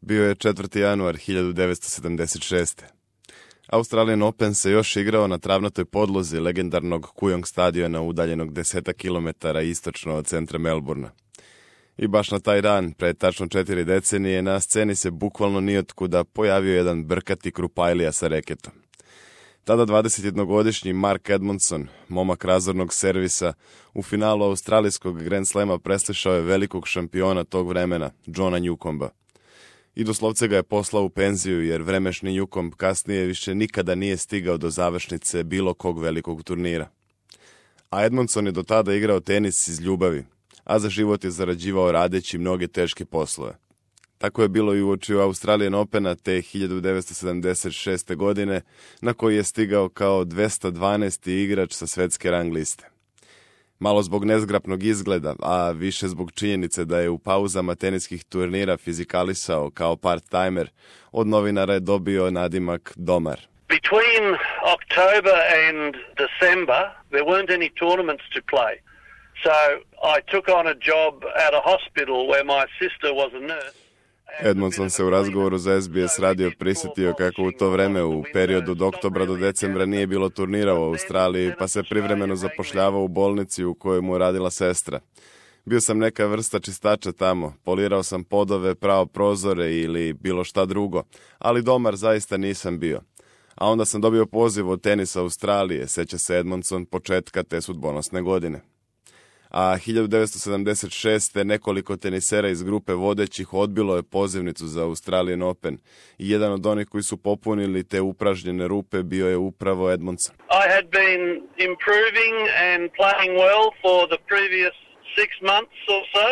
Bio je 4. januar 1976. Australian Open se još igrao na travnatoj podlozi legendarnog Kooyong stadiona udaljenog 10 km istočno od centra Melbourna. I baš na taj dan, pred tačno 4 decenije, na sceni se bukvalno nijotkuda pojavio jedan brkati krupajlija sa reketom. Tada 21-godišnji Mark Edmondson, momak razornog servisa, u finalu australijskog Grand Slama preslišao je velikog šampiona tog vremena, Johna Newcomba. I doslovce ga je poslao u penziju, jer vremešni Newcomb kasnije više nikada nije stigao do završnice bilo kog velikog turnira. A Edmondson je do tada igrao tenis iz ljubavi, a za život je zarađivao radeći mnoge teške poslove. Tako je bilo i uoči Australian Opena te 1976. godine, na koji je stigao kao 212. igrač sa svetske rang liste. Malo zbog nezgrapnog izgleda, a više zbog činjenice da je u pauzama teniskih turnira fizikalisao kao part-timer, od novinara je dobio nadimak Domar. Between October and December, there weren't any tournaments to play. So I took on a job at a hospital where my sister was a nurse. Edmondson se u razgovoru za SBS radio prisjetio kako u to vreme u periodu od oktobra do decembra nije bilo turnira u Australiji, pa se privremeno zapošljavao u bolnici u kojoj mu radila sestra. Bio sam neka vrsta čistača tamo, polirao sam podove, prao prozore ili bilo šta drugo, ali domar zaista nisam bio. A onda sam dobio poziv od tenisa Australije, seća se Edmondson početka te sudbonosne godine. A 1976. nekoliko tenisera iz grupe vodećih odbilo je pozivnicu za Australian Open i jedan od onih koji su popunili te upražnjene rupe bio je upravo Edmondson. I had been improving and playing well for the previous 6 months or so,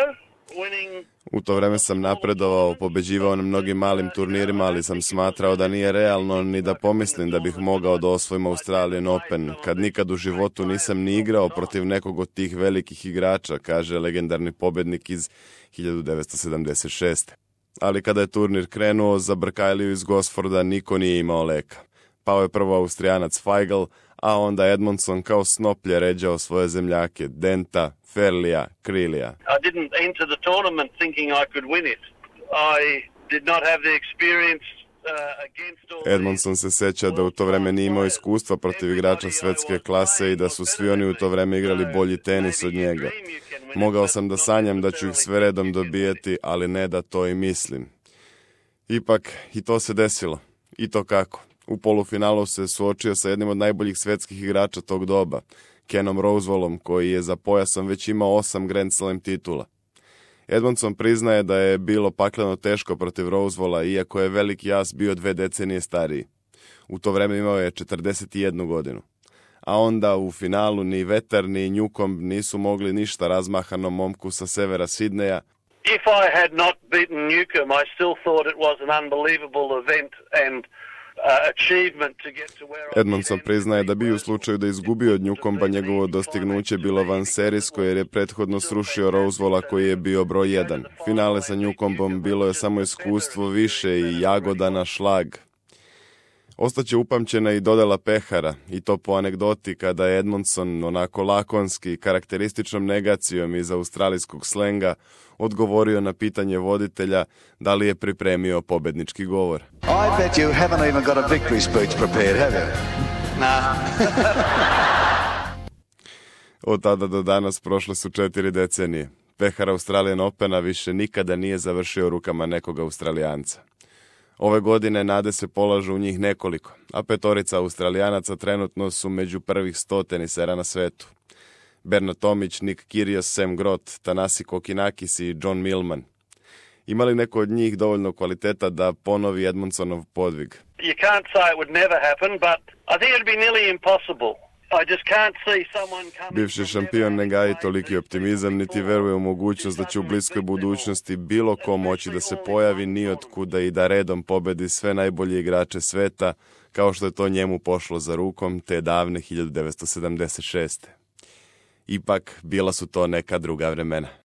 winning. U to vreme sam napredovao, pobeđivao na mnogim malim turnirima, ali sam smatrao da nije realno ni da pomislim da bih mogao da osvojim Australian Open, kad nikad u životu nisam ni igrao protiv nekog od tih velikih igrača, kaže legendarni pobednik iz 1976. Ali kada je turnir krenuo, za Brkajliju iz Gosforda niko nije imao leka. Pao je prvo Austrijanac Feigl, a onda Edmondson kao snoplje ređao svoje zemljake, Denta, Ferlija, Krilija. I didn't enter the tournament thinking I could win it. I did not have the experience against all. Edmondson se seća da u to vreme nije imao iskustva protiv igrača svetske klase i da su svi oni u to vreme igrali bolji tenis od njega. Mogao sam da sanjam da ću ih sve redom dobijeti, ali ne da to i mislim. Ipak, i to se desilo. I to kako? U polufinalu se suočio sa jednim od najboljih svetskih igrača tog doba, Kenom Rosewallom, koji je za pojasom već imao 8 Grand Slam titula. Edmondson priznaje da je bilo pakleno teško protiv Rosewalla, iako je veliki as bio 2 decenije stariji. U to vreme imao je 41 godinu. A onda u finalu ni vetar ni Newcomb nisu mogli ništa razmahanom momku sa severa Sidneja. If I had not beaten Newcomb, I still thought it was an unbelievable event and Edmondson priznaje da bi u slučaju da izgubio od Newcomba njegovo dostignuće bilo vanserijsko jer je prethodno srušio Rosewalla koji je bio broj 1. Finale sa Newcombom bilo je samo iskustvo više i jagoda na šlag. Ostaće upamćena i dodala pehara, i to po anegdoti kada je Edmondson onako lakonski, karakterističnom negacijom iz australijskog slenga odgovorio na pitanje voditelja da li je pripremio pobednički govor. I bet you haven't even got a victory speech prepared, have you? Nah. Od tada do danas prošle su 4 decenije. Pehar Australian Opena više nikada nije završio rukama nekog Australijanca. Ove godine nade se polažu u njih nekoliko, a 5 Australijanaca trenutno su među prvih 100 tenisera na svetu. Bernard Tomić, Nick Kyrgios, Sam Groth, Thanasi Kokkinakis i John Millman. Ima li neko od njih dovoljno kvaliteta da ponovi Edmondsonov podvig? You can't say it would never happen, but I think it'd be nearly impossible. I just can't see someone coming. Bivši šampion ne gaji toliki optimizam, niti veruje u mogućnost da će u bliskoj budućnosti bilo ko moći da se pojavi ni otkuda i da redom pobedi sve najbolje igrače sveta, kao što je to njemu pošlo za rukom te davne 1976. Ipak, bila su to neka druga vremena.